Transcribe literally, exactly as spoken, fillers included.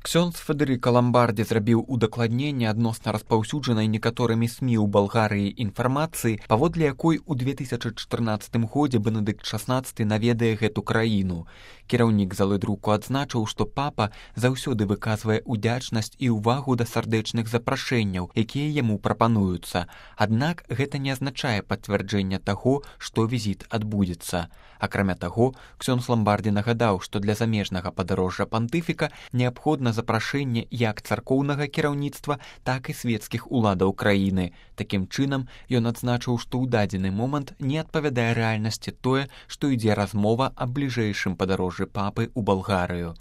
Ксёндз Федэрыка Ламбардзі зрабіў удакладненне адносна распаўсюджанай некаторымі СМІ ў Балгарыі інфармацыі, паводле якой у две тысячы чатырнаццатым годзе Бенедыкт шаснаццаты наведае гэту краіну. Кіраўнік залы друку адзначыў, што папа заўсёды выказвае ўдзячнасць і ўвагу да сардэчных запрашэнняў, якія яму прапануюцца. Аднак гэта не азначае пацвярджэння таго, што візіт адбудзецца. Акрамя таго, Ксёндз Ламбардзі нагадаў, што для замежнага падарожжа пантыфіка неабходна запрашэнне як царкоўнага кіраўніцтва, так і свецкіх уладаў краіны. Такім чынам, ён адзначыў, што ў дадзены момант не адпавядае рэальнасці тое, што ідзе размова аб бліжэйшым падарожжы папы ў Балгарыю.